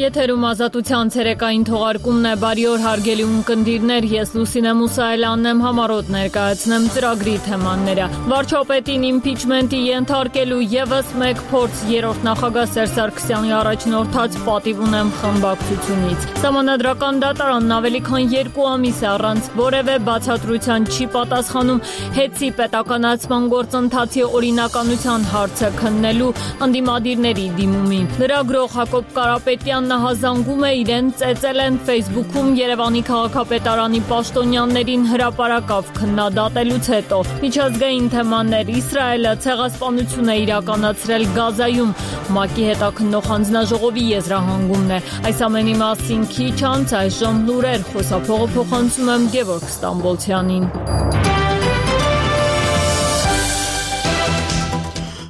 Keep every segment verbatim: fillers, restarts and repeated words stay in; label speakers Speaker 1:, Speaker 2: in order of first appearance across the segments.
Speaker 1: Եթերում ազատության ցերեկային թողարկումն է, բարի օր հարգելի ունկնդիրներ, ես Լուսինե Մուսայելյանն եմ, համառոտ ներկայացնեմ ծրագրի թեմաները։ Վարչապետին իմպիչմենտի ենթարկելու ևս մեկ փորձ, երրորդ նախագահ Սերժ Սարգսյանի առաջնորդած պատիվ ունեմ խմբակցությունից։ Սահմանադրական դատարանն ավելի քան երկու ամիս է առանց որևէ բացատրության չի պատասխանում հեծի պետականացման գործընթացի օրինականության հարցը քննելու ընդդիմադիրների դիմումին։ Լրագրող Հակոբ Կարապետյանն հազանգում է իրեն ծեծել են Facebook-ում Երևանի քաղաքապետարանի պաշտոնյաներին հրապարակավ քննադատելուց հետո։ Միջազգային թեմաներ, Իսրայելը ցեղասպանություն է իրականացրել Գազայում, ՄԱԿ-ի հետաքննող հանձնաժողովի եզրահանգումն է։ Այս ամենի մասին քիչ անց այժմ լուրեր, խոսափողը փոխանցում եմ Գևորգ Ստամբոլցյանին։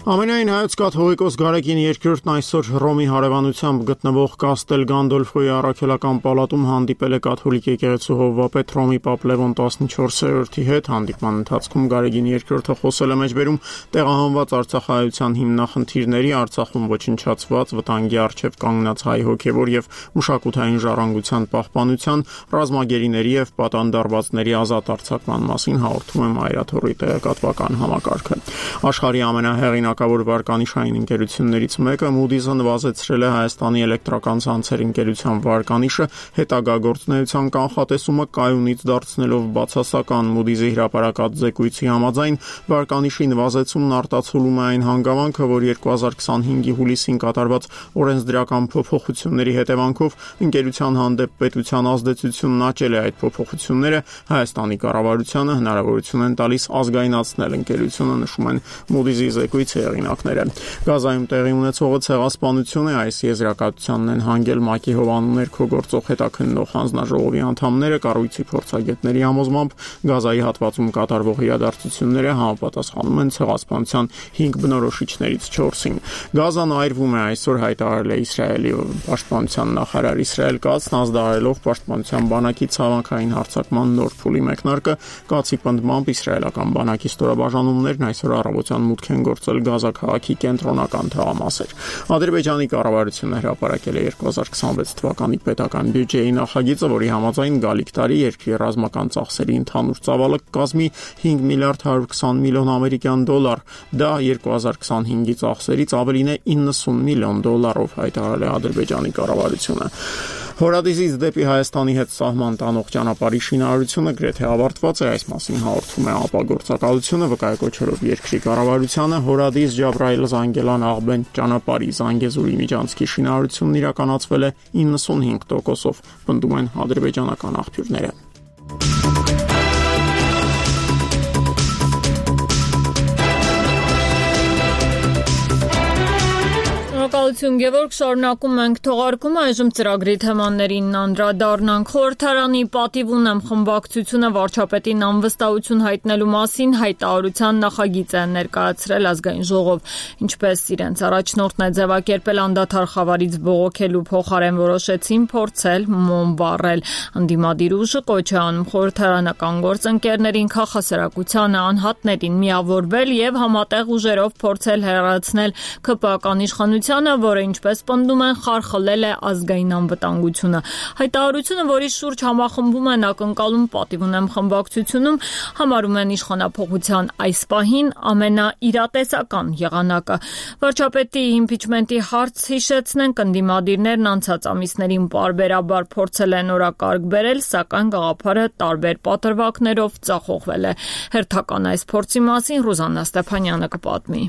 Speaker 2: Ամենայն հայոց կաթողիկոս Գարեգին երկրորդն այսօր Հռոմի հարևանությամբ գտնվող Կաստել Գանդոլֆոյի առաքելական պալատում հանդիպել է կաթոլիկ եկեղեցու հովվապետ Հռոմի Պապ Լևոն տասնչորսերորդի հետ։ Հանդիպման ընթացքում Գարեգին երկրորդը խոսել է մեջբերում տեղահանված արցախահայության հիմնախնդիրների, Արցախում ոչնչացված, վտանգի առջև կանգնած հայ հոգևոր եւ մշակութային ժառանգության պահպանության, ռազմագերիների եւ պատանդարվածների ազատ արձակման մասին հաղորդում է Մայրաթոռի տեղեկատվական համակարգը։ Աշխարհի ամենահեղինակ վարկանիշային ընկերություններից մեկը Moody's-ը նվազեցրել է Հայաստանի էլեկտրական ցանցերի ընկերության վարկանիշը հետագա գործունեության կանխատեսումը կայունից դարձնելով բացասական։ Moody's-ի հրապարակած զեկույցի համաձայն վարկանիշի նվազեցումն արտացոլում է այն հանգամանքը, որ երկու հազար քսանհինգի հուլիսին կատարված օրենսդրական փոփոխությունների հետևանքով ընկերության հանդեպ պետության ազդեցությունն աճել է։ Այդ փոփոխությունները Հայաստանի կառավարությանը հնարավորություն են տալիս ազգայնացնել ընկերությունը, նշում են Moody's-ի զեկույցի հեղինակները։ Գազայում տեղի ունեցողը ցեղասպանություն է, այս եզրակացությանն են հանգել ՄԱԿ-ի հովանու ներքո գործող հետաքննող հանձնաժողովի անդամները, կառույցի փորձագետների համոզմամբ Գազայի հատվածում կատարվող իրադարձությունները համապատասխանում են ցեղասպանության հինգ բնորոշիչներից չորսին։ Գազան այրվում է, այսօր հայտարարել է Իսրայելի պաշտպանության նախարար Իսրայել Կացն, ազդարելով պաշտպանության բանակի ցամաքային հարձակման նոր փուլի մեկնարկը։ Կացի պնդմամբ իսրայելական բանակի ստորաբաժանումներն այսօր առավոտյան մուտք են գործել Գազա քաղաքի կենտրոնական թաղամասեր։ Ադրբեջանի կառավարությունը հրապարակել է երկու հազար քսանվեց թվականի պետական բյուջեի նախագիծը, որի համաձայն գալիք տարի երկրի ռազմական ծախսերի ընդհանուր ծավալը կկազմի հինգ միլիարդ հարյուր քսան միլիոն ամերիկյան դոլար։ Դա երկու հազար քսանհինգի ծախսերից ավելին է իննսուն միլիոն դոլարով, հայտարարել է Ադրբեջանի կառավարությունը։ Հորադիզից դեպի Հայաստանի հետ սահման տանող ճանապարհի շինարարությունը գրեթե ավարտված է, այս մասին հաղորդում է ԱՊԱ գործակալությունը, վկայակոչելով երկրի կառավարությանը։ Հորադիզ Ջաբրայել Զանգելան Աղբեն ճանապարհի Զանգեզուրի միջանցքի շինարարությունն իրականացվել է իննսունհինգ տոկոսով, պնդում են ադրբեջանական աղբյուրները։
Speaker 1: Շնորհակալություն Գևորգ, շարունակում ենք թողարկումը, այժմ ծրագրի թեմաներին անդրադառնանք։ Խորհրդարանի պատիվ ունեմ խմբակցությունը վարչապետին անվստահություն հայտնելու մասին հայտարարության նախագիծ է ներկայացրել ազգային ժողով, ինչպես իրենց առաջնորդն է ձևակերպել անդադար խավարից բողոքելու փոխարեն որոշեցին փորձել մոմ վառել։ Ընդդիմադիր ուժը կոչ է անում խորհրդարանական գործընկերներին, քաղաքասարակությանը, անհատներին միավորվել եւ համատեղ ուժերով փորձել հեռացնել ՔՊԱ-ական իշխանությանը, որը ինչպես պնդում են խարխլել է ազգային անվտանգությունը։ Հայտարարությունը, որի շուրջ համախմբում են ակնկալում պատիվ ունեմ խմբակցությունում, համարում են իշխանափոխության այս պահին ամենաիրատեսական եղանակը։ Վարչապետի իմպիչմենտի հարց հիշեցնենք, ընդդիմադիրներն անցած ամիսներին պարբերաբար փորձել են օրակարգ բերել, սակայն գաղափարը տարբեր պատրվակներով ձախողվել է։ Հերթական այս փորձի մասին Ռուզաննա Ստեփանյանը կպատմի։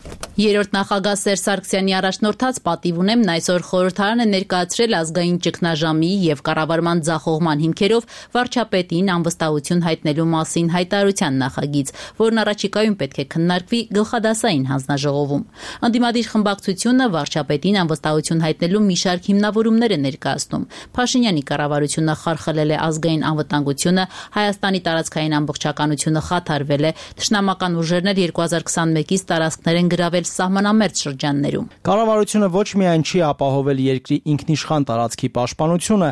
Speaker 3: Երրորդ նախագահ Սերժ Սարգսյանի առաջնորդած պատիվ ունեմ այսօր խորհրդարանը ներկայացրել ազգային ճգնաժամի եւ կառավարման ձախողման հիմքերով վարչապետին անվստահություն հայտնելու մասին հայտարարության նախագիծ, որն առաջիկայում պետք է քննարկվի գլխադասային հանձնաժողովում։ Ընդդիմադիր խմբակցությունը վարչապետին անվստահություն հայտնելու մի շարք հիմնավորումներ է ներկայացնում։ Փաշինյանի կառավարությունը խարխլել է ազգային անվտանգությունը, Հայաստանի տարածքային ամբողջականությունը խաթարվել է, թշնամական ուժերն էլ երկու հազար քսանմեկից տարածքներ են գրավել սահմանամերձ շրջաններում։
Speaker 4: Կառավարությունը ոչ միայն չի ապահովել երկրի ինքնիշխան տարածքի պաշտպանությունը,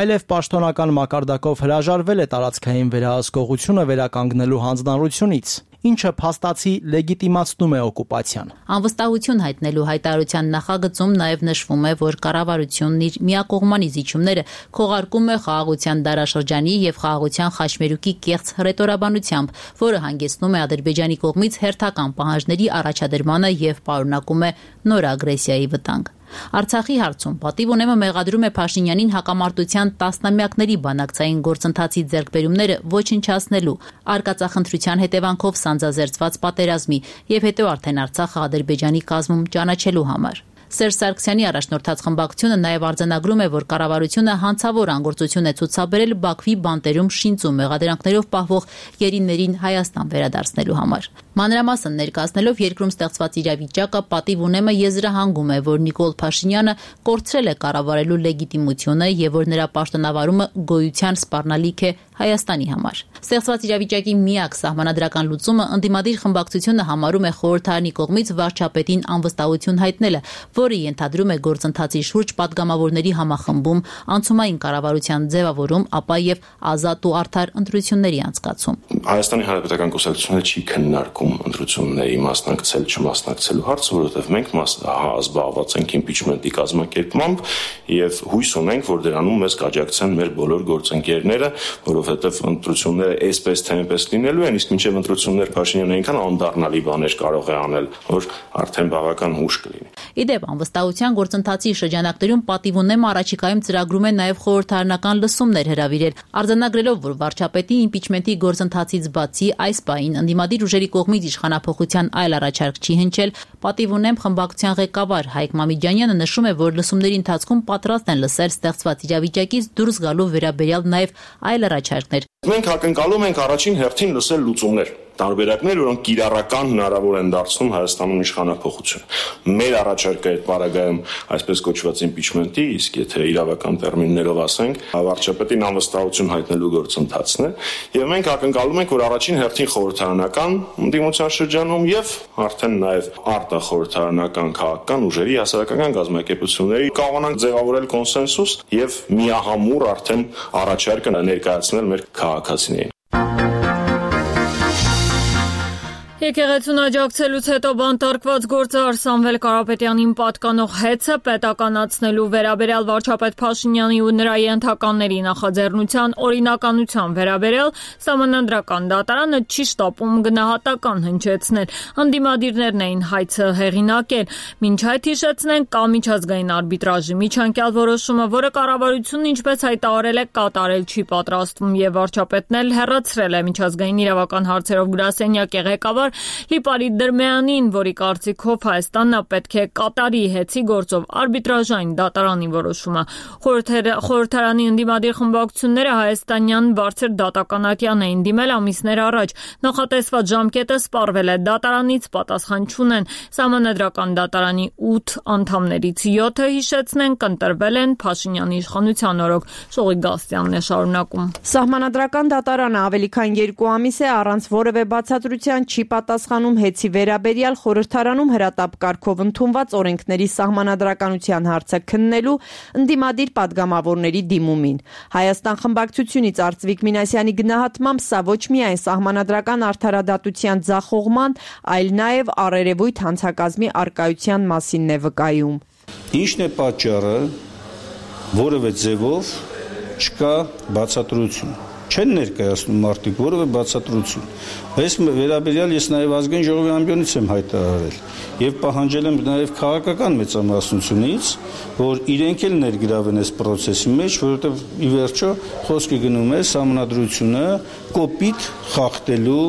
Speaker 4: այլև պաշտոնական մակարդակով հրաժարվել է տարածքային վերահսկողությունը վերականգնելու հանձնառությունից։ ինչը փաստացի լեգիտիմացնում է օկուպացիան։
Speaker 3: Անվստահություն հայտնելու հայտարարության նախագծում նաև նշվում է, որ կառավարությունն իր միակողմանի զիջումները քողարկում է խաղաղության դարաշրջանի եւ խաղաղության խաչմերուկի կեղծ հռետորաբանությամբ, որը հանգեցնում է Ադրբեջանի կողմից հերթական պահանջների առաջադրմանը եւ պարունակում է նոր ագրեսիայի վտանգ։ Արցախի հարցում պատիվ ունեմը մեղադրում է Փաշինյանին հակամարտության տասնամյակների բանակցային գործընթացի ձեռքբերումները ոչնչացնելու, արկածախնդրության հետևանքով սանձազերծված պատերազմի եւ հետո արդեն Արցախը Ադրբեջանի կազմում ճանաչելու համար։ Սերժ Սարգսյանի առաջնորդած խմբակցությունը նաև արձանագրում է, որ կառավարությունը հանցավոր անգործություն է ցուցաբերել Բաքվի բանտերում շինծու մեղադրանքներով պահվող գերիներին Հայաստան վերադարձնելու համար։ Մանրամասն ներկայացնելով երկրում ստեղծված իրավիճակը, պատիվ ունեմը եզրահանգում է, որ Նիկոլ Փաշինյանը կորցրել է կառավարելու լեգիտիմությունը եւ որ նրա պաշտոնավարումը գոյության սպառնալիք է Հայաստանի համար։ Ստեղծված իրավիճակի միակ սահմանադրական լուծումը ընդդիմադիր խմբակցությունը համարում է խորհրդարանի կողմից վարչապետին անվստահություն հայտնելը, որը ենթադրում է գործընթացի շուրջ պատգամավորների համախմբում, անցումային կառավարության ձևավորում, ապա եւ ազատ ու արդար ընտրությունների անցկացում։
Speaker 5: Հայաստանի Հանրապետական Կուսակցությունը չի քննարկում ընտրությունների մասնակցել չմասնակցելու հարցը, որովհետև մենք զբաղված ենք իմպիչմենտի կազմակերպմամբ եւ հույս ունենք, որ դրանում մեզ կաջակցեն մեր բոլոր գործընկերները, որովհետև ընտրությունները այսպես թե այնպես լինելու են, իսկ մինչև ընտրություններ Փաշինյանը այնքան անդառնալի բաներ կարող է անել, որ արդեն բավական հուշ կլինի։
Speaker 3: Իդեպ անվստահության գործընթացի շրջանակներում պատիվ ունեմը առաջիկայում ծրագրում է նաև խորհրդարանական լսումներ հրավիրել, արձանագրելով, որ վարչապետի իմպիչմենտի գործընթացից բացի այս պահին ընդդիմադիր ուժերի կողմից իշխանափոխության այլ առաջարկ չի հնչել, պատիվ ունեմ խմբակցության ղեկավար Հայկ Մամիջանյանը նշում է, որ լսումների ընթացքում պատրաստ են լսել ստեղծված իրավիճակից դուրս գալու վերաբերյալ նաև այլ առաջարկներ։
Speaker 5: Մենք ակնկալում ենք առաջին հերթին լսել լուծումներ, տարբերակներ, որոնք կիրառական հնարավոր են դարձնում Հայաստանում իշխանափոխություն։ Մեր առաջարկը այդ պարագայում այսպես կոչված իմպիչմենտի, իսկ եթե իրավական տերմիններով ասենք, վարչապետին անվստահություն հայտնելու գործընթացն է, եւ մենք ակնկալում ենք, որ առաջին հերթին խորհրդարանական ընդդիմության շրջանում եւ արդեն նաեւ արտախորհրդարանական քաղաքական ուժերի հասարակական գազམ་ակերպությունների կարողանանք ձևավորել կոնսենսուս եւ միահամուռ արդեն առաջարկը ներկայացնել մեր քաղաքացիներին։
Speaker 1: Եկեղեցուն աջակցելուց հետո բանտարկված գործարար Սամվել Կարապետյանին պատկանող հեծը պետականացնելու վերաբերյալ վարչապետ Փաշինյանի ու նրա ենթականների նախաձեռնության օրինականության վերաբերյալ Սահմանադրական դատարանը չի շտապում գնահատական հնչեցնել։ Ընդդիմադիրներն էին հայցը հեղինակել։ Մինչ այդ հիշեցնենք, կա միջազգային արբիտրաժի միջանկյալ որոշումը, որը կառավարությունն ինչպես հայտարարել է, կատարել չի պատրաստվում եւ վարչապետն էլ հեռացրել է միջազգային իրավական հարցերով գրասենյակի ղեկավար Լիպարիտ Դրմեյանին, որի կարծիքով Հայաստանն պետք է կատարի հեծի գործով արբիտրաժային դատարանի որոշումը։ Խորհրդարանի ընդդիմադիր խմբակցությունները հայաստանյան բարձր դատականատյան էին դիմել ամիսներ առաջ։ Նախատեսված ժամկետը սպառվել է, դատարանից պատասխան չունեն։ Սահմանադրական դատարանի ութ անդամներից յոթը հիշեցնենք ընտրվել են Փաշինյանի իշխանության օրոք։ Շողիկ Գաստյանն է շարունակում։
Speaker 6: Սահմանադրական դատարանը ավելի քան երկու ամիս է առանց որևէ բացատրության չի պատասխանում հեծի վերաբերյալ խորհրդարանում հրատապ կարգով ընդունված օրենքների սահմանադրականության հարցը քննելու ընդդիմադիր պատգամավորների դիմումին։ Հայաստան խմբակցությունից Արծվիկ Մինասյանի գնահատմամբ սա ոչ միայն սահմանադրական արդարադատության ձախողման, այլ նաև առերևույթ հանցակազմի արկայության մասինն է վկայում։
Speaker 7: Ինչն է պատճառը, որևէ ձևով չկա բացատրություն։ Չեն ներկայացնում մարդիկ որևէ բացատրություն։ Այս վերաբերյալ ես նաև ազգային ժողովի ամբիոնից եմ հայտարարել եւ պահանջել եմ նաև քաղաքական մեծամասնությունից, որ իրենք էլ ներգրավեն այս process-ի մեջ, որովհետեւ ի վերջո խոսքը գնում է սահմանադրությունը կոպիտ խախտելու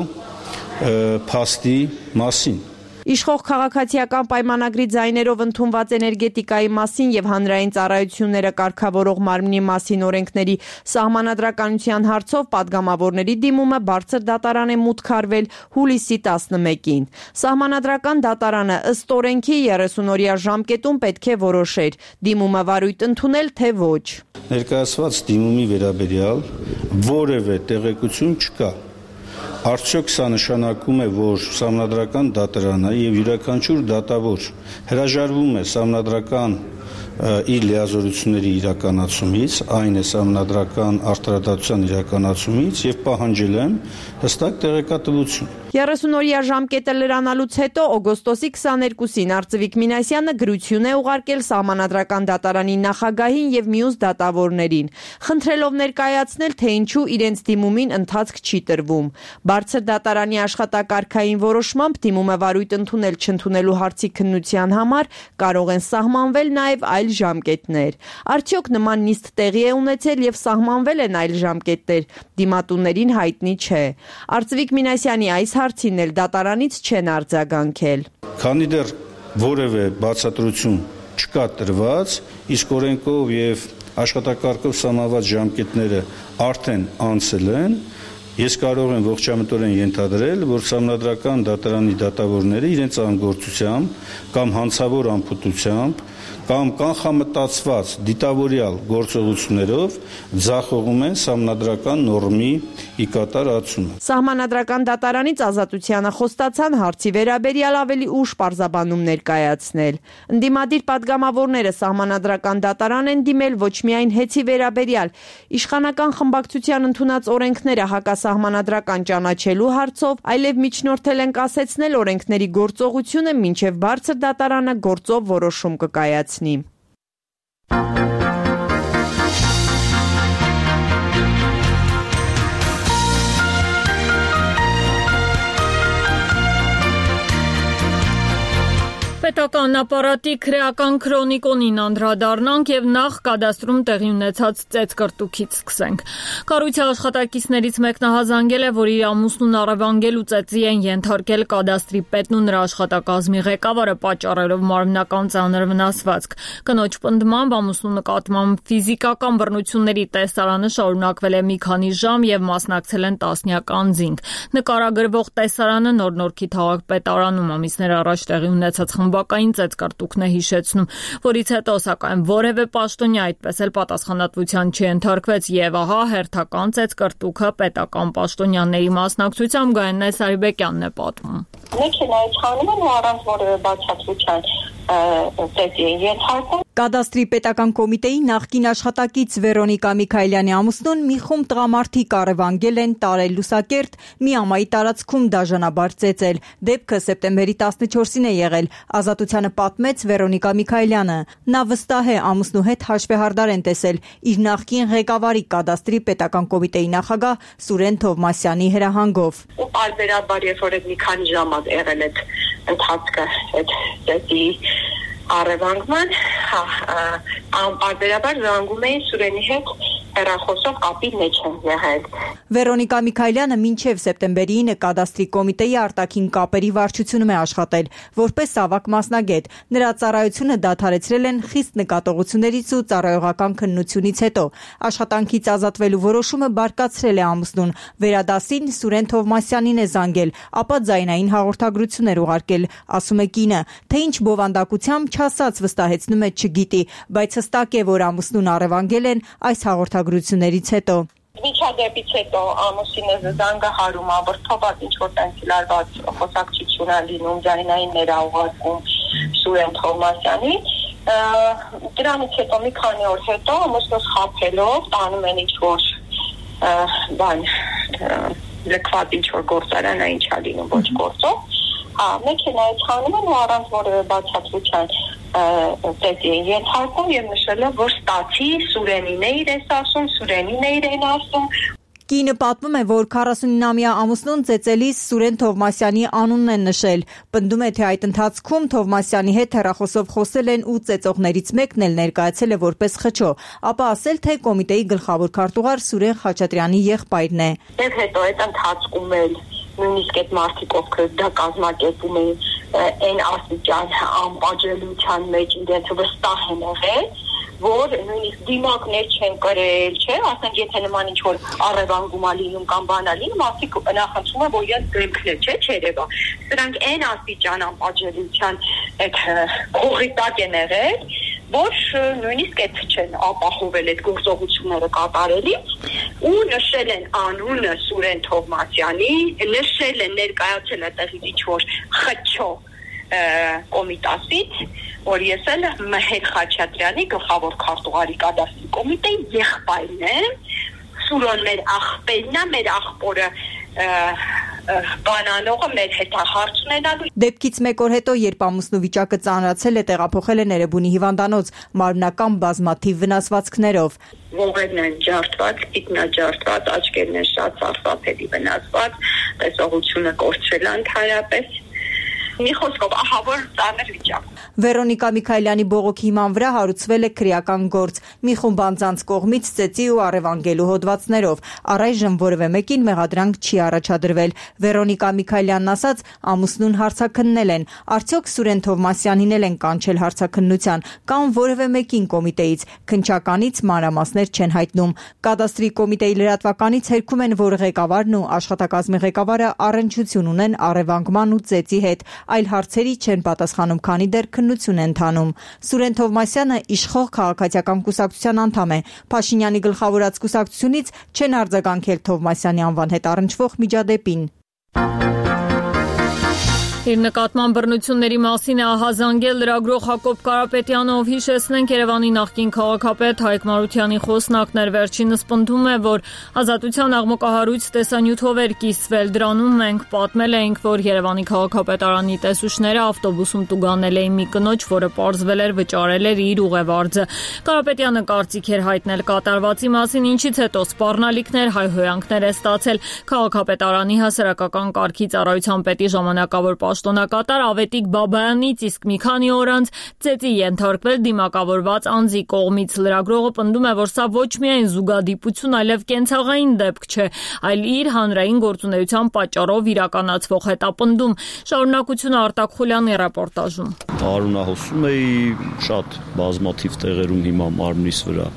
Speaker 7: փաստի մասին։
Speaker 6: Իշխող քաղաքացիական պայմանագրի ձայներով ընդունված էներգետիկայի մասին եւ հանրային ծառայությունները կարգավորող մարմնի մասին օրենքների սահմանադրականության հարցով պատգամավորների դիմումը բարձր դատարան է մուտք արվել հուլիսի տասնմեկին։ Սահմանադրական դատարանը ըստ օրենքի երեսուն-օրյա ժամկետում պետք է որոշեր՝ դիմումը վարույթ ընդունել թե ոչ։
Speaker 7: Ներկայացված դիմումի վերաբերյալ որևէ տեղեկություն չկա։ Արդյոք սա նշանակում է, որ սահմանադրական դատարանը եւ յուրաքանչյուր դատավոր հրաժարվում է սահմանադրական իր լիազորությունների իրականացումից, այն է սահմանադրական արդարադատության իրականացումից եւ պահանջել եմ հստակ տեղեկատվություն։
Speaker 6: երեսուն-օրյա ժամկետը լրանալուց հետո օգոստոսի քսաներկուսին Արծվիկ Մինասյանը գրություն է ուղարկել Սահմանադրական դատարանի նախագահին եւ մյուս դատավորներին, խնդրելով ներկայացնել, թե ինչու իրենց դիմումին ընթացք չի տրվում։ Բարձր դատարանի աշխատակարգային որոշմամբ դիմումը վարույթ ընդունել չընդունելու հարցի քննության համար կարող են սահմանվել նաեւ այլ ժամկետներ։ Արդյոք նման նիստ տեղի է ունեցել եւ սահմանվել են այլ ժամկետներ, դիմատուներին հայտնի չէ։ Արծվիկ Մինասյանի այս հարցին էլ դատարանից չեն արձագանքել։
Speaker 7: Քանի դեռ որևէ բացատրություն չկա տրված, իսկ օրենքով եւ աշխատակարգով սահմանված ժամկետները արդեն անցել են, ես կարող եմ ողջամտորեն ենթադրել, որ Սահմանադրական դատարանի դատավորները իրենց անգործությամբ կամ հանցավոր անփութությամբ կամ կանխամտածված դիտավորյալ գործողություններով ձախողում են սահմանադրական նորմի ի կատարածումը։
Speaker 6: Սահմանադրական դատարանից ազատությանը խոստացան հարցի վերաբերյալ ավելի ուշ պարզաբանում ներկայացնել։ Ընդդիմադիր պատգամավորները Սահմանադրական դատարան են դիմել ոչ միայն հեծի վերաբերյալ, իշխանական խմբակցության ընդունած օրենքները հակասահմանադրական ճանաչելու հարցով, այլև միջնորդել են կասեցնել օրենքների գործողությունը, մինչև բարձր դատարանը գործով որոշում կկայացնի։
Speaker 1: Պետական ապարատի քրեական քրոնիկոնին անդրադառնանք եւ նախ կադաստրում տեղի ունեցած ծեծկրտուքից սկսենք։ Կառույցի աշխատակիցներից մեկն հազանգել է, որ իր ամուսնուն առևանգել ու ծեծի են ենթարկել կադաստրի պետն ու նրա աշխատակազմի ղեկավարը, պատճառելով մարմնական ծանր վնասվածք։ Կնոջ պնդմամբ ամուսնու նկատմամբ ֆիզիկական բռնությունների տեսարանը շարունակվել է մի քանի ժամ եւ մասնակցել են տասնյակ անձինք։ Նկարագրվող տեսարանը Նոր Նորքի քաղաքպետարանում ամիսներ առաջ տեղի ունեցած բակային ծեծկրտուքն է հիշեցնում, որից հետո սակայն որևէ պաշտոնյա այդպես էլ պատասխանատվության չենթարկվեց եւ ահա հերթական ծեծկրտուքը պետական պաշտոնյաների մասնակցությամբ Գայանե Սարիբեկյանն է պատմում։
Speaker 8: Մեքենայից խանում են ու առանց որևէ բացատրության ծեծի են ենթարկում։
Speaker 6: Կադաստրի պետական կոմիտեի նախկին աշխատակից Վերոնիկա Միքայելյանի ամուսնուն մի խումբ տղամարդիկ առևանգել են տարել լուսակերտ մի ամայի տարածքում դաժանաբար ծեծել։ Դեպքը սեպտեմբերի տասնչորսին է եղել, Ազատությանը պատմեց Վերոնիկա Միքայելյանը։ Նա վստահ է ամուսնու հետ հաշվեհարդար են տեսել իր նախկին ղեկավարի կադաստրի պետական կոմիտեի նախագահ Սուրեն Թովմասյանի հրահանգով։
Speaker 8: Ու պարբերաբար երբ որ մի քանի ժամ եղել այդ ընթացքը այդ ծեծի առևանգման, հա, անպարբերաբար զանգում էին Սուրենի հետ հեռախոսով կապի մեջ են եղել։
Speaker 6: Վերոնիկա Միքայելյանը մինչև սեպտեմբերին կադաստրի կոմիտեի արտաքին կապերի վարչությունում է աշխատել, որպես ավագ մասնագետ։ Նրա ծառայությունը դադարեցրել են խիստ նկատողություններից ու ծառայողական քննությունից հետո։ Աշխատանքից ազատվելու որոշումը բարկացրել է ամուսնուն։ Վերադասին Սուրեն Թովմասյանին է զանգել, ապա ձայնային հաղորդագրություններ ուղարկել, ասում է կինը, թե ինչ բովանդակությամբ չասած վստահեցնում է չգիտի, բայց հստակ է, որ ամուսնուն առևանգել են այս հաղորդագրություններից հետո։
Speaker 8: Միջադեպից հետո ամուսինը զանգահարում, ավրթոված ինչ-որ տենց լարված խոսակցություն է լինում, ձայնայիններ է ուղարկում Սուրեն Թովմասյանի։ Դրանից հետո մի քանի օր հետո ամուսնուս խաբելով տանում են ինչ-որ բան լքված ինչ-որ գործարան է ինչա լինում ոչ գործով։ Հա, մեքենայից խանում են ու առանց որևէ բացատրության ծեծի են ենթարկում եւ նշել է, որ ստացի Սուրենին է իրեն ասում, Սուրենին է իրեն ասում։
Speaker 6: Կինը պատմում է, որ քառասունինամյա ամուսնուն ծեծելիս Սուրեն Թովմասյանի անունն են նշել։ Պնդում է, թե այդ ընթացքում Թովմասյանի հետ հեռախոսով խոսել են ու ծեծողներից մեկն էլ ներկայացել է որպես խճո, ապա ասել, թե կոմիտեի գլխավոր քարտուղար Սուրեն Խաչատրյանի եղբայրն է։
Speaker 8: Եվ հետո այդ ընթացքում էլ նույնիսկ այդ մարդիկ, ովքեր դա կազմակերպում էին, այն աստիճան անպատժելիության մեջ իրենց վստահ են եղել, որ նույնիսկ դիմակներ չեն կրել, չէ, ասենք եթե նման ինչ-որ առևանգում ա լինում կամ բան ա լինում, մարդիկ նախընտրում են, որ իրենց դեմքն է, չէ, չերևա։ Սրանք այն աստիճան անպատժելիության այդ քողի տակ են եղել, որ նույնիսկ այդ չեն ապահովել այդ գործողությունները կատարելիս ու նշել են անունը Սուրեն Թովմասյանի, նշել են ներկայացել այդտեղից ինչ-որ խճո կոմիտասից որ ես էլ Մեհեր Խաչատրյանի գլխավոր քարտուղարի կադաստրի կոմիտեի եղբայրն եմ, Սուրոն մեր աղբերն է, մեր աղբորը բանանողը մեր հետ հարց ունենալու։
Speaker 6: Դեպքից մեկ օր հետո, երբ ամուսնու վիճակը ծանրացել է, տեղափոխել է Ներեբունի հիվանդանոց մարմնական բազմաթիվ վնասվածքներով։
Speaker 8: Ողերն են ջարդված, ինքնաջարդված, աչքերն են շատ սարսափելի վնասված, տեսողությունը կորցրել ընդհանրապես։ Մի խոսքով, ահա որ ծանր վիճակ։
Speaker 6: Վերոնիկա Միքայելյանի բողոքի հիման վրա հարուցվել է քրեական գործ մի խումբ անձանց կողմից ծեծի ու առևանգելու հոդվածներով։ Առայժմ որևէ մեկին մեղադրանք չի առաջադրվել։ Վերոնիկա Միքայելյանն ասաց, ամուսնուն հարցաքննել են։ Արդյոք Սուրեն Թովմասյանին էլ են կանչել հարցաքննության կամ որևէ մեկին կոմիտեից։ Քննչականից մանրամասներ չեն հայտնում։ Կադաստրի կոմիտեի լրատվականից հերքում են, որ ղեկավարն ու աշխատակազմի ղեկավարը առնչություն ունեն առևանգման ու ծեծի հետ, այլ հարցերի չեն պատասխանում, քանի դեռ քննություն են ընթանում։ Սուրեն Թովմասյանը իշխող քաղաքացիական կուսակցության անդամ է։ Փաշինյանի գլխավորած կուսակցությունից չեն արձագանքել Թովմասյանի անվան հետ առնչվող միջադեպին։
Speaker 1: Իր նկատման բռնությունների մասին է ահազանգել լրագրող Հակոբ Կարապետյանը, ով հիշեցնենք Երևանի նախկին քաղաքապետ Հայկ Մարությանի խոսնակն էր։ Վերջինս պնդում է, որ Ազատության աղմկահարույց տեսանյութով էր կիսվել։ Դրանում մենք պատմել էինք, որ Երևանի քաղաքապետարանի տեսուչները ավտոբուսում տուգանել էին մի կնոջ, որը պարզվել էր վճարել էր իր ուղևարձը։ Կարապետյանը կարծիք էր հայտնել կատարվածի մասին, ինչից հետո սպառնալիքներ, հայհոյանքներ է ստացել քաղաքապետարանի հասարակական կարգի ծառայության պետի ժամանակավոր պաշտոնակատար Ավետիք Բաբայանից, իսկ մի քանի օր անց ծեծի ենթարկվել դիմակավորված անձի կողմից։ Լրագրողը պնդում է, որ սա ոչ միայն զուգադիպություն, այլև կենցաղային դեպք չէ, այլ իր հանրային գործունեության պատճառով իրականացվող հետապնդում։ Շարունակությունը Արտակ Խուլյանի ռեպորտաժում։
Speaker 9: Արունահոսում էի շատ բազմաթիվ տեղերում հիմա մարմնիս վրա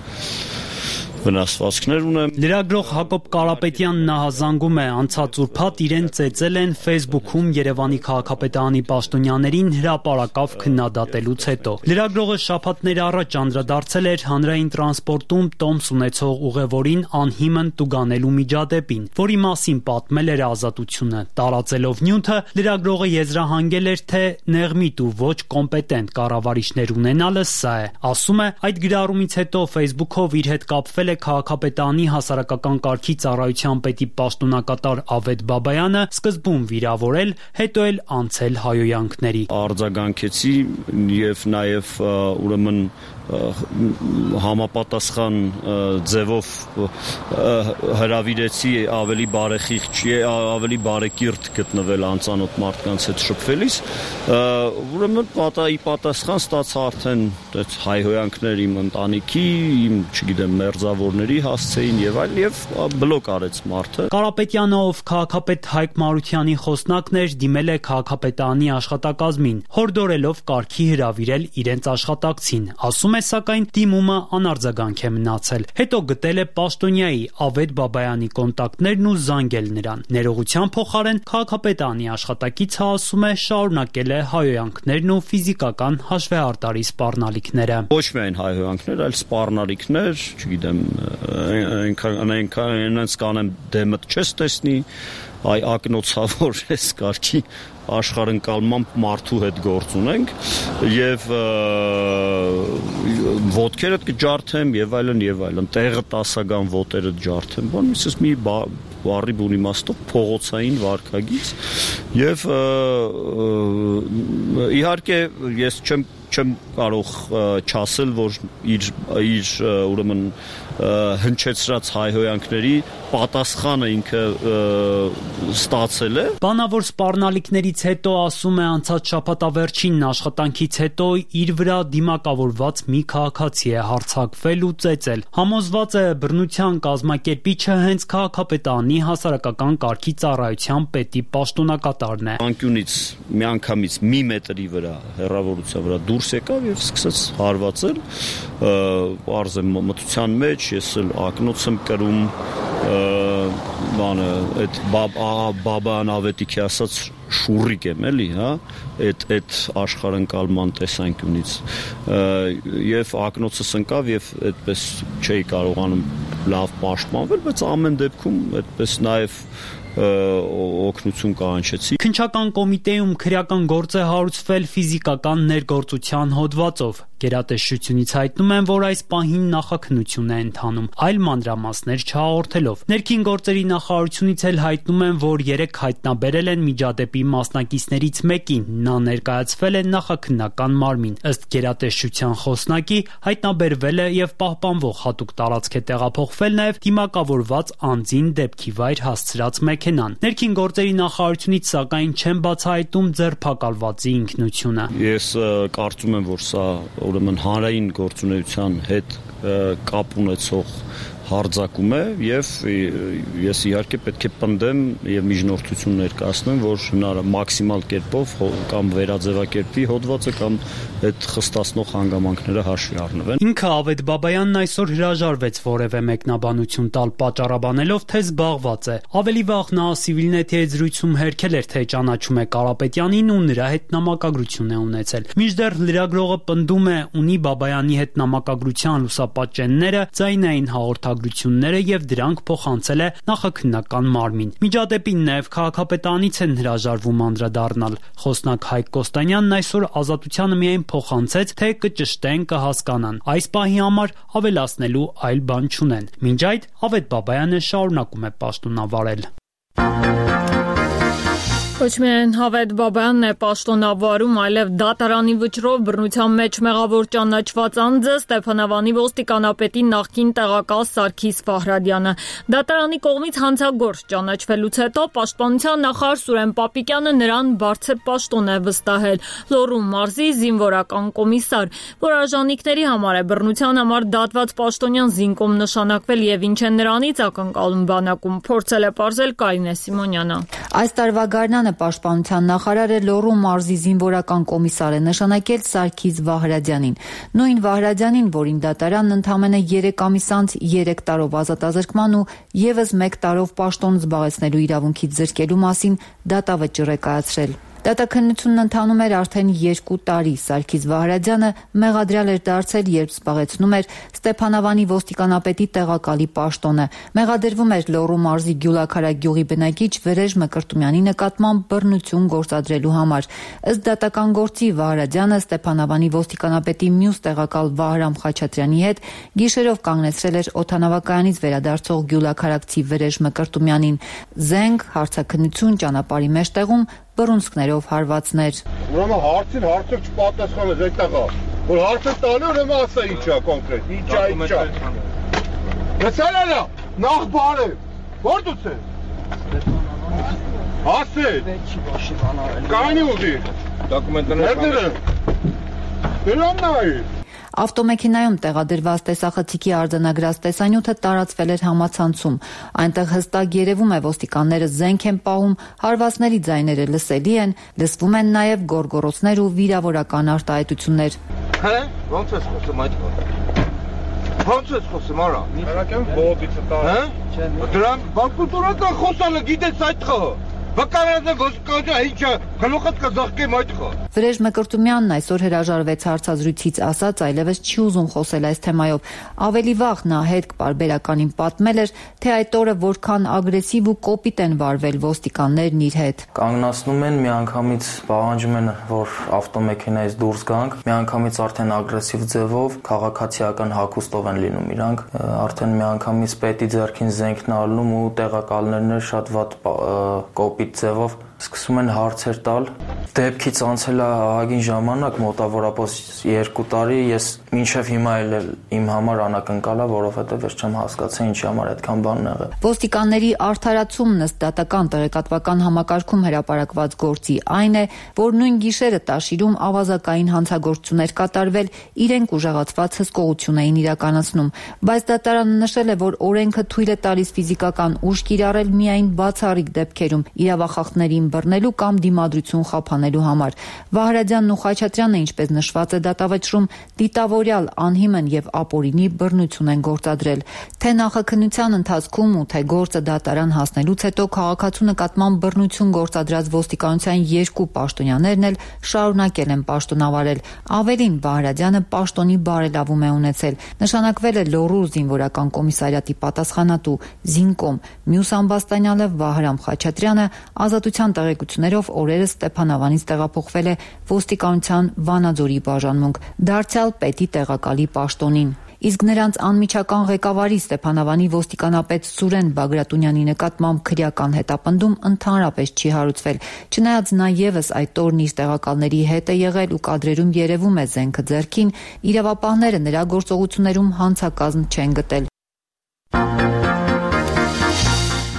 Speaker 9: վնասվածքներ ունեմ։
Speaker 10: Լրագրող Հակոբ Կարապետյանն ահազանգում է, անցած ուրբաթ իրեն ծեծել են Facebook-ում Երևանի քաղաքապետարանի պաշտոնյաներին հրապարակավ քննադատելուց հետո։ Լրագրողը շաբաթներ առաջ անդրադարձել էր հանրային տրանսպորտում տոմս ունեցող ուղևորին անհիմն տուգանելու միջադեպին, որի մասին պատմել էր Ազատությունը։ Տարածելով նյութը, լրագրողը եզրահանգել էր, թե նեղմիտ ու ոչ կոմպետենտ կառավարիչներ ունենալը սա է։ Ասում է, այդ գրառումից հետո Facebook-ով իր հետ կապվել է քաղաքապետարանի հասարակական կարգի ծառայության պետի պաշտոնակատար Ավետ Բաբայանը, սկզբում վիրավորել, հետո էլ անցել հայոյանքների։
Speaker 9: Արձագանքեցի եւ նաեւ ուրեմն համապատասխան ձևով հրավիրեցի ավելի բարեխիղճ, ավելի բարեկիրթ գտնվել անծանոթ մարդկանց հետ շփվելիս, ուրեմն պատահի պատասխան ստացա արդեն այդ հայհոյանքներ իմ ընտանիքի, իմ, չգիտեմ, մերձավորների հասցեին եւ այլ, եւ բլոկ արեց մարդը։
Speaker 10: Կարապետյանը, ով քաղաքապետ Հայկ Մարությանի խոսնակն էր, դիմել է քաղաքապետարանի աշխատակազմին, հորդորելով կարգի հրավիրել իրենց աշխատակցին։ Ասում է, սակայն դիմումը անարձագանք է մնացել։ Հետո գտել է պաշտոնյայի Ավետ Բաբայանի կոնտակտներն ու զանգել նրան։ Ներողության փոխարեն քաղաքապետարանի աշխատակիցը ասում է, շարունակել է հայոյանքներն ու ֆիզիկական հաշվեհարտարի սպառնալիքները։
Speaker 9: Ոչ միայն հայոյանքներ, այլ սպառնալիքներ, չգիտեմ, այնքան այնքան կանեմ դեմդ չես տեսնի, այ ակնոցավոր էս կարգի աշխարհընկալմամբ մարդու հետ գործ ունենք եւ ոտքերդ կջարդեմ եւ այլն եւ այլն, տեղը տասական ոտերը ջարդեմ, բան միսս մի բարի բուն իմաստով փողոցային վարքագիծ եւ իհարկե ես չեմ չեմ կարող չասել, որ իր իր ուրեմն հնչեցրած հայհոյանքների պատասխանը ինքը ստացել է։
Speaker 10: Բանավոր սպառնալիքներից հետո, ասում է, անցած շաբաթավերջինն աշխատանքից հետո իր վրա դիմակավորված մի քաղաքացի է հարձակվել ու ծեծել։ Համոզված է, բռնության կազմակերպիչը հենց քաղաքապետարանի հասարակական կարգի ծառայության պետի պաշտոնակատարն է։
Speaker 9: Անկյունից միանգամից մի մետրի վրա հեռավորության վրա դուրս եկավ եւ սկսեց հարվածել, պարզ է մտության մեջ, ես էլ ակնոց եմ կրում, բանը այդ Բաբայան Ավետիքի ասած շուրիկ եմ էլի, հա, այդ այդ աշխարհընկալման տեսանկյունից եւ ակնոցս ընկավ եւ այդպես չէի կարողանում լավ պաշտպանվել, բայց ամեն դեպքում այդպես նաեւ օգնություն կանչեցի։
Speaker 10: Քննչական կոմիտեում քրեական գործ է հարուցվել ֆիզիկական ներգործության հոդվածով։ Գերատեսչությունից հայտնում են, որ այս պահին նախաքննություն է ընթանում, այլ մանրամասներ չհաղորդելով։ Ներքին գործերի նախարարությունից էլ հայտնում են, որ երեք հայտնաբերել են միջադեպի մասնակիցներից մեկին, նա ներկայացվել է նախաքննական մարմին։ Ըստ գերատեսչության խոսնակի, հայտնաբերվել է եւ պահպանվող հատուկ տարածք է տեղափոխվել նաեւ դիմակավորված անձին դեպքի վայր հասցրած մեքենան։ Ներքին գործերի նախարարությունից սակայն չեն բացահայտում ձերբակալվածի ինքնությունը։
Speaker 9: Ես կարծում եմ, որ սա ուրեմն հանրային գործունեության հետ կապ ունեցող հարձակում է եւ ես իհարկե պետք է պնդեմ եւ միջնորդություն ներկայացնեմ, որ հնարավոր մաքսիմալ կերպով կամ վերաձևակերպի հոդվածը կամ այդ խստացնող հանգամանքները հաշվի առնվեն։
Speaker 10: Ինքը Ավետ Բաբայանն այսօր հրաժարվեց որևէ մեկնաբանություն տալ, պատճառաբանելով, թե զբաղված է։ Ավելի վաղ նա Civilnet-ի հետ զրույցում հերքել էր, թե ճանաչում է Կարապետյանին ու նրա հետ նամակագրություն է ունեցել։ Մինչդեռ լրագրողը պնդում է, ունի Բաբայանի հետ նամակագրության լուսապատճենները, ձայնային հաղորդագրությունները եւ դրանք փոխանցել է նախաքննական մարմին։ Միջադեպին նաեւ քաղաքապետարանից են հրաժարվում անդրադառնալ։ Խոսնակ Հայկ Կոստանյանն այսօր Ազատությանը միայն փոխանցեց, թե կճշտեն, կհասկանան։ Այս պահի համար ավելացնելու այլ բան չունեն։ Մինչ այդ Ավետ Բաբայանը շարունակում է պաշտոնավարել։
Speaker 1: Ոչ միայն Ավետ Բաբայանն է պաշտոնավարում, այլև դատարանի վճռով բռնության մեջ մեղավոր ճանաչված անձը Ստեփանավանի ոստիկանապետի նախկին տեղակալ Սարգիս Ֆահրադյանը։ Դատարանի կողմից հանցագործ ճանաչվելուց հետո պաշտպանության նախարար Սուրեն Պապիկյանը նրան բարձր պաշտոն է վստահել։ Լոռու մարզի զինվորական կոմիսար, որ արժանինքների համար է բռնության համար դատված պաշտոնյան զինկոմ նշանակվել եւ ինչ է նրանից ակնկալում բանակում, փորձել է պարզել Կարինե Սիմոնյանը։
Speaker 11: Այս տարվա գարնանը Պաշտպանության նախարարը Լոռու մարզի զինվորական կոմիսար է նշանակել Սարգիս Վահրադյանին։ Նույն Վահրադյանին, որին դատարանն ընդամենը երեք ամիս անց երեք տարով ազատազրկման ու եւս մեկ տարով պաշտոն զբաղեցնելու իրավունքից զրկելու մասին դատավճիռ է կայացրել։ Դատաքննությունն ընթանում էր արդեն երկու տարի։ Սարգիս Վահրադյանը մեղադրյալ էր դարձել, երբ զբաղեցնում էր Ստեփանավանի ոստիկանապետի տեղակալի պաշտոնը։ Մեղադրվում էր Լոռու մարզի Գյուլաքարակ գյուղի բնակիչ Վրեժ Մկրտումյանի նկատմամբ բռնություն գործադրելու համար։ Ըստ դատական գործի Վահրադյանը Ստեփանավանի ոստիկանապետի մյուս տեղակալ Վահրամ Խաչատրյանի հետ գիշերով կանգնեցրել էր օդանավակայանից վերադարձող Գյուլաքարակցի Վրեժ Մկրտումյանին։ Զենք, հարցաքննություն, ճանապարհի մեջտեղում բռունցքներով հարվածներ։
Speaker 12: Ուրեմն հարցին հարցը չպատասխանես այդտեղա, որ հարցը տալու ուրեմն ասա ինչա կոնկրետ, ինչա, ինչա։ Լսելա, նախ բարը, որ դուց ես։ Ասել։ Կանի ուզի։ Դոկումենտները։ Դրան նայ։
Speaker 11: Ավտոմեքենայում տեղադրված տեսախցիկի արձանագրած տեսանյութը տարածվել էր համացանցում։ Այնտեղ հստակ երևում է ոստիկանները զենք են պահում, հարվածների ձայները լսելի են, լսվում են նաև գոռգոռոցներ ու վիրավորական արտահայտություններ։
Speaker 12: Հե՞, ո՞նց ես խոսում այդ խոսքը։ Ո՞նց ես խոսում արա։ Հերակեմ բոդիցը տա։ Հե՞։ Դրան բանկուտորական խոսալը գիտես այդ խո։ Վկայանը ոսկոջա ինչա գլուխդ կզախկեմ այդ խո։
Speaker 11: Վրեժ Մկրտումյանն այսօր հրաժարվեց հարցազրույցից, ասաց այլևս չի ուզում խոսել այս թեմայով։ Ավելի վաղ նա հետ պարբերականին պատմել էր, թե այդ օրը որքան ագրեսիվ ու կոպիտ են վարվել ոստիկաններն իր հետ։
Speaker 13: Կանգնացնում են, միանգամից պահանջում են, որ ավտոմեքենայից դուրս գանք, միանգամից արդեն ագրեսիվ ձևով քաղաքացիական հագուստով են լինում իրանք, արդեն միանգամից պետի ձեռքին զենքն առնում ու տեղակալներն էլ շատ վատ կոպիտ ձևով սկսում են հարցեր տալ։ Դեպքից անցել է ահագին ժամանակ, մոտավորապես երկու տարի, ես մինչև հիմա էլ իմ համար անակնկալ է, որովհետև ես չեմ հասկացել ինչի համար այդքան բանն եղել։
Speaker 11: Ոստիկանների արդարացումն ըստ դատական տեղեկատվական համակարգում հրապարակված գործի այն է, որ նույն գիշերը Տաշիրում ավազակային հանցագործություններ կատարվել, իրենք ուժեղացված հսկողություն էին իրականացնում, բայց դատարանը նշել է, որ օրենքը թույլ է տալիս ֆիզիկական ուժ կիրառել միայն բացառիկ դեպքերում իրավախախտներին բռնելու կամ դիմադրություն խափանելու համար։ Վահրադյանն ու Խաչատրյանը, ինչպես նշված է դատավճռում, դիտավոր երթօրյալ, անհիմն եւ ապօրինի բռնություն են գործադրել։ Թե նախաքննության ընթացքում ու թե գործը դատարան հասնելուց հետո քաղաքացու նկատմամբ բռնություն գործադրած ոստիկանության երկու պաշտոնյաներն էլ շարունակել են պաշտոնավարել։ Ավելին, Վահրադյանը պաշտոնի բարելավում է ունեցել։ Նշանակվել է Լոռու զինվորական կոմիսարիատի պատասխանատու Զինկոմ, մյուս ամբաստանյալը Վահրամ Խաչատրյանը ազատության տեղեկություններով օրերս Ստեփանավանից տեղափոխվել է ոստիկանության Վանաձորի բաժանմունք, դարձյալ պետի տեղակալի պաշտոնին։ Իսկ նրանց անմիջական ղեկավարի Ստեփանավանի ոստիկանապետ Սուրեն Բագրատունյանի նկատմամբ քրեական հետապնդում ընդհանրապես չի հարուցվել։ Չնայած նա ևս այդ օրն իր տեղակալների հետ է եղել ու կադրերում երևում է զենքը ձեռքին, իրավապահները նրա գործողություններում հանցակազմ չեն գտել։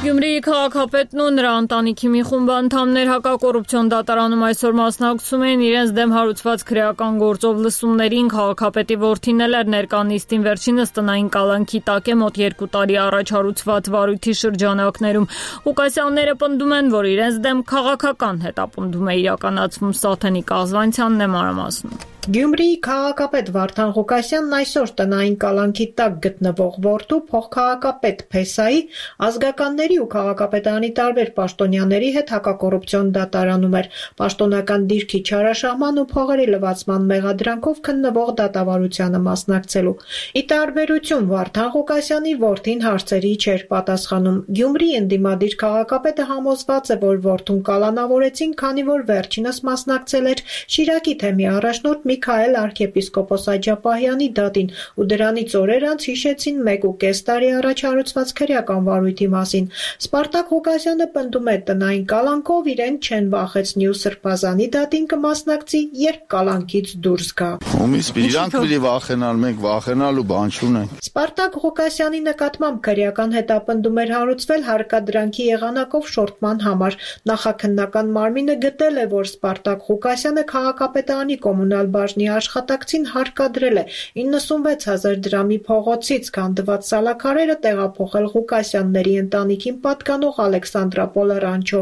Speaker 1: Գյումրիի քաղաքապետն ու նրա ընտանիքի մի խումբ անդամներ հակակոռուպցիոն դատարանում այսօր մասնակցում էին իրենց դեմ հարուցված քրեական գործով լսումներին։ Քաղաքապետի որդին էլ էր ներկա նիստին, վերջինս տնային կալանքի տակ է մոտ երկու տարի առաջ հարուցված վարույթի շրջանակներում։ Ղուկասյանները պնդում են, որ իրենց դեմ քաղաքական հետապնդում է իրականացվում։ Սաթենիկ Ազվանցյանն է մանրամասնում։
Speaker 14: Գյումրիի քաղաքապետ Վարդան Ղուկասյանն այսօր տնային կալանքի տակ գտնվող որդու փոխքաղաքապետ Փեսայի ազգականների ու քաղաքապետարանի տարբեր պաշտոնյաների հետ հակակոռուպցիոն դատարանում էր պաշտոնական դիրքի չարաշահման ու փողերի լվացման մեղադրանքով քննվող դատավարությանը մասնակցելու։ Ի տարբերություն Վարդան Ղուկասյանի որդին հարցերի չէր պատասխանում։ Գյումրիի ընդդիմադիր քաղաքապետը համոզված է, որ որդուն կալանավորեցին, քանի որ վերջինս մասնակցել էր Շիրակի թեմի առաջնորդ Միքայել arczepiskopos Աջապահյանի դատին ու դրանից օրեր անց հիշեցին մեկ ու կես տարի առաջ հարուցված քրեական վարույթի մասին։ Սպարտակ Ղուկասյանը պնդում է տնային կալանքով իրեն չեն վախեցնի ու սրբազանի դատին կմասնակցի, երբ կալանքից դուրս գա։
Speaker 15: Ումից իրանք պիտի վախենալ, մենք վախենալու բան չունենք։
Speaker 14: Սպարտակ Ղուկասյանի նկատմամբ քրեական հետապնդում էր հարուցվել հարկադրանքի եղանակով շորտման համար։ Նախաքննական մարմինը գտել է, որ Սպարտակ Ղուկասյանը քաղաքապետարանի կոմունալ բաժնի աշխատակցին հարկադրել է իննսունվեց հազար դրամի փողոցից քանդված սալաքարերը տեղափոխել Ղուկասյանների ընտանիքին պատկանող Ալեքսանդրապոլ ռանչո,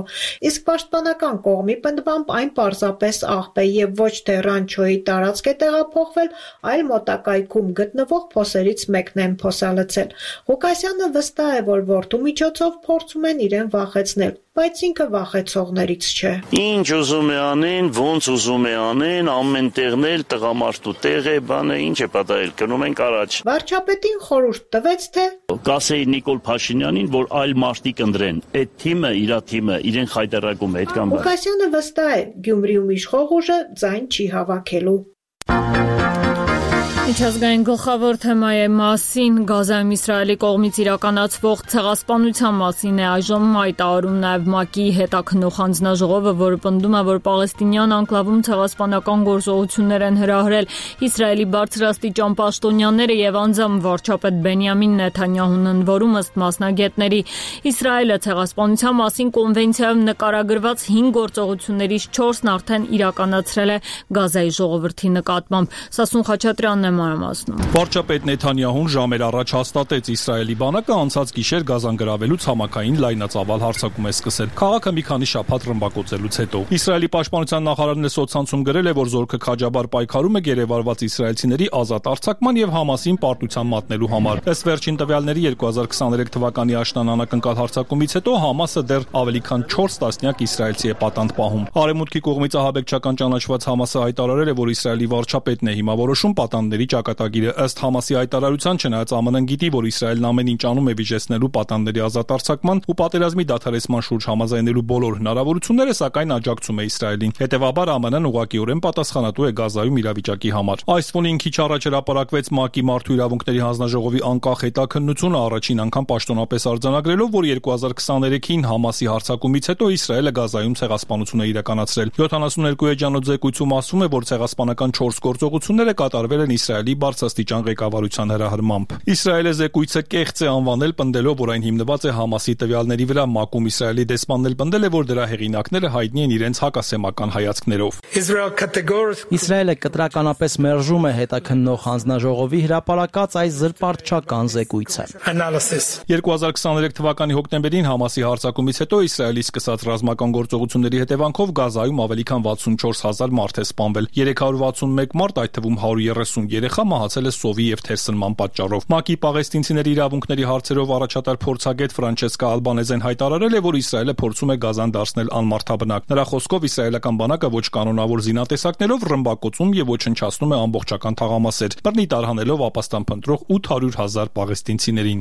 Speaker 14: իսկ պաշտպանական կողմի պնդմամբ այն պարզապես աղբ է եւ ոչ թե ռանչոյի տարածք է տեղափոխվել, այլ մոտակայքում գտնվող փոսերից մեկն են փոսալցել։ Ղուկասյանը վստահ է, որ որդու միջոցով փորձում են իրեն վախեցնել, բայց ինքը վախեցողներից չէ։
Speaker 9: Ինչ ուզում է անեն, ոնց ուզում է անեն, ամեն տեղն էլ տղամարդու տեղ է, բանը ինչ է պատահել, գնում ենք առաջ։
Speaker 14: Վարչապետին խորհուրդ տվեց, թե
Speaker 9: կասեի Նիկոլ Փաշինյանին, որ այլ մարդիկ ընտրեն։ Այդ թիմը, իր թիմը, իրեն խայտարակում է, այդ կամ բան։
Speaker 14: Ղուկասյանը վստահ է, Գյումրիում իշխող ուժը ձայն չի հավաքելու։
Speaker 1: Միջազգային գլխավոր թեմայի մասին Գազայում Իսրայելի կողմից իրականացվող ցեղասպանության մասին է այժմ հայտարարում նաև ՄԱԿ-ի հետաքննող հանձնաժողովը, որը պնդում է, որ պաղեստինյան անկլավում ցեղասպանական գործողություններ են հրահրել Իսրայելի բարձրաստիճան պաշտոնյաները եւ անձամբ վարչապետ Բենյամին Նեթանյահուն, ընդ ըստ մասնագետների Իսրայելը ցեղասպանության մասին կոնվենցիայում նկարագրված հինգ գործողություններից չորսն արդեն իրականացրել է Գազայի ժողովրդի նկատմամբ։ Սասուն Խաչատրյանն է մանրամասնում։
Speaker 16: Վարչապետ Նեթանյահուն ժամեր առաջ հաստատեց Իսրայելի բանակը անցած գիշեր Գազան գրավելուց համակային լայնածավալ հարձակում է սկսել։ Քաղաքը մի քանի շաբաթ ռմբակոծելուց հետո Իսրայելի պաշտպանության նախարարն է սոցցանցում գրել է, որ զորքը քաջաբար պայքարում է գերեվարված իսրայելցիների ազատ արձակման եւ Համասին պարտության մատնելու համար։ Ըստ վերջին տվյալների երկու հազար քսաներեք թվականի աշնան անակնկալ հարձակումից հետո Համասը դեռ ավելի քան չորս տասնյակ իսրայելցի է պատանդ պահում։ Արևմուտքի կողմից ահաբեկչական ճանաչված Համասը հայտարարել է, որ Իսրայելի վարչապետն է հիմա որոշում պատանդների ճակատագիրը։ Ըստ Համասի հայտարարության, չնայած ԱՄՆ-ն գիտի, որ Իսրայելն ամեն ինչ անում է վիճեցնելու պատանդների ազատ արձակման ու պատերազմի դադարեցման շուրջ համաձայնելու բոլոր հնարավորությունները, սակայն աջակցում է Իսրայելին։ Հետևաբար ԱՄՆ-ն ուղղակիորեն պատասխանատու է Գազայում իրավիճակի համար։ Այս ֆոնին քիչ առաջ հրապարակվեց ՄԱԿ-ի Մարդու իրավունքների հանձնաժողովի անկախ հետաքննությունը, առաջին անգամ պաշտոնապես արձանագրելով, որ երկու հազար քսաներեքին Համասի հարձակումից հետո Իսրայելը Գազայում ցեղասպանություն է իրականացրել։ յոթանասուններկու էջանոց զեկույցում ասվում է, որ ցեղասպանական չորս գործողությունները կատարվել են Իսրայելի բարձրաստիճան ղեկավարության հրահրմամբ։ Իսրայելը զեկույցը կեղծ է անվանել, պնդելով, որ այն հիմնված է Համասի տվյալների վրա։ ՄԱԿ-ում Իսրայելի դեսպանն էլ պնդել է, որ դրա հեղինակները հայտնի են իրենց հակասեմական հայացքներով։
Speaker 4: Իսրայելը կտրականապես մերժում է հետաքննող հանձնաժողովի հրապարակած այս զրպարտչական զեկույցը։
Speaker 16: երկու հազար քսաներեք թվականի հոկտեմբերին Համասի հարձակումից հետո Իսրայելի սկսած ռազմական գործողությունների հետևանքով Գազայում ավելի քան վաթսունչորս հազար մարդ է սպանվել։ երեք հարյուր վաթսունմեկ մարդ, այդ թվում հարյուր երեսունյոթ երեխա մահացել է սովի եւ թերսնման պատճառով։ ՄԱԿ-ի պաղեստինցիների իրավունքների հարցերով առաջատար փորձագետ Ֆրանչեսկա Ալբանեզեն հայտարարել է, որ Իսրայելը փորձում է Գազան դարձնել անմարդաբնակ։ Նրա խոսքով իսրայելական բանակը ոչ կանոնավոր զինատեսակներով ռմբակոծում եւ ոչնչացնում է ամբողջական թաղամասեր, բռնի տարհանելով ապաստան փնտրող ութ հարյուր հազար պաղեստինցիներին։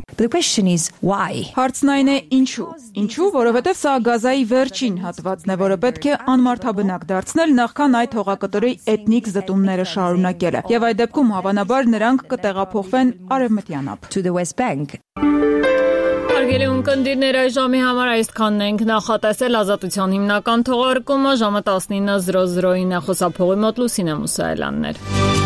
Speaker 17: Հարցն այն է ինչու։ Ինչու, որովհետև սա Գազայի վերջին հատվածն է, որը պետք է անմարդաբնակ դարձնել նախքան այդ հողակտորի էթնիկ զտումները շարունակելը։ Եվ այդ դեպքում հավանաբար նրանք կտեղափոխվեն Արևմտյան ափ։
Speaker 1: Հարգելի ունկնդիրներ, այս ժամի համար այսքանն ենք նախատեսել Ազատության հիմնական թողարկումը ժամը տասնինը զրո զրոին է խոսափողի մոտ Լուսինե Մուսայելյաններ։